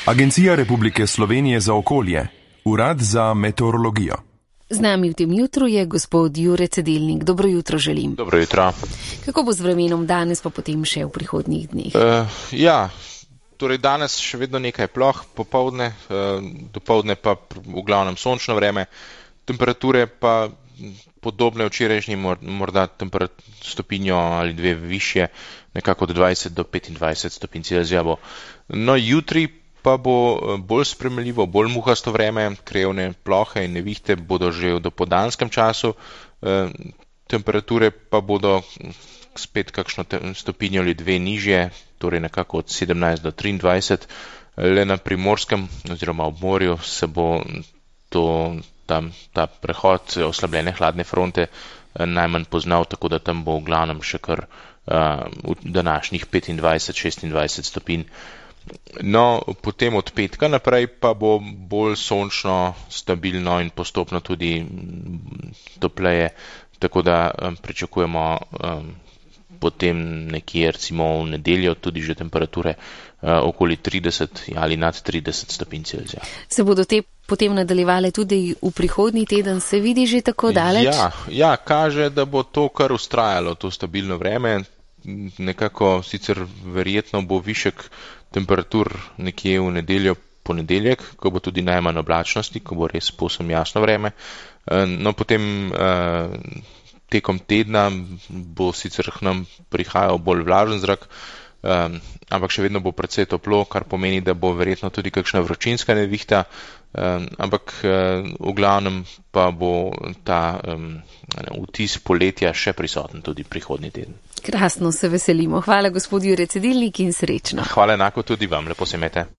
Agencija Republike Slovenije za okolje, Urad za meteorologijo. Z nami v tem jutru je gospod Jure Cedilnik. Dobro jutro želim. Dobro jutro. Kako bo z vremenom danes pa potem še v prihodnjih dneh? Torej danes še vedno nekaj ploh, popoldne, dopoldne pa v glavnem sončno vreme, temperature pa podobne včerajšnji, morda stopinjo ali dve višje, nekako od 20 do 25 stopinj Celzija bo. No, jutri pa bo bolj spremljivo, bolj muhasto vreme, krevne plohe in nevihte bodo že v dopoldanskem času, temperature pa bodo spet kakšno stopinjo ali dve nižje, torej nekako od 17 do 23, le na Primorskem oziroma ob morju se bo ta prehod oslabljene hladne fronte najmanj poznal, tako da tam bo v glavnem še kar v današnjih 25-26 stopinj. No, potem od petka naprej pa bo bolj sončno, stabilno in postopno tudi topleje, tako da pričakujemo potem nekje recimo v nedeljo tudi že temperature okoli 30 ali nad 30 stopinj Celzija. Se bodo te potem nadaljevale tudi v prihodnji teden, se vidi že tako daleč? Ja, kaže, da bo to kar vztrajalo, to stabilno vreme. Nekako sicer verjetno bo višek temperatur nekje v nedeljo, ponedeljek, ko bo tudi najmanj oblačnosti, ko bo res povsem jasno vreme. No, potem tekom tedna bo sicer k nam prihajal bolj vlažen zrak, ampak še vedno bo precej toplo, kar pomeni, da bo verjetno tudi kakšna vročinska nevihta, ampak v glavnem pa bo ta vtis poletja še prisoten tudi prihodnji teden. Krasno, se veselimo. Hvala gospod Jure Cedilnik in srečno. Hvala enako tudi vam, lepo se imejte.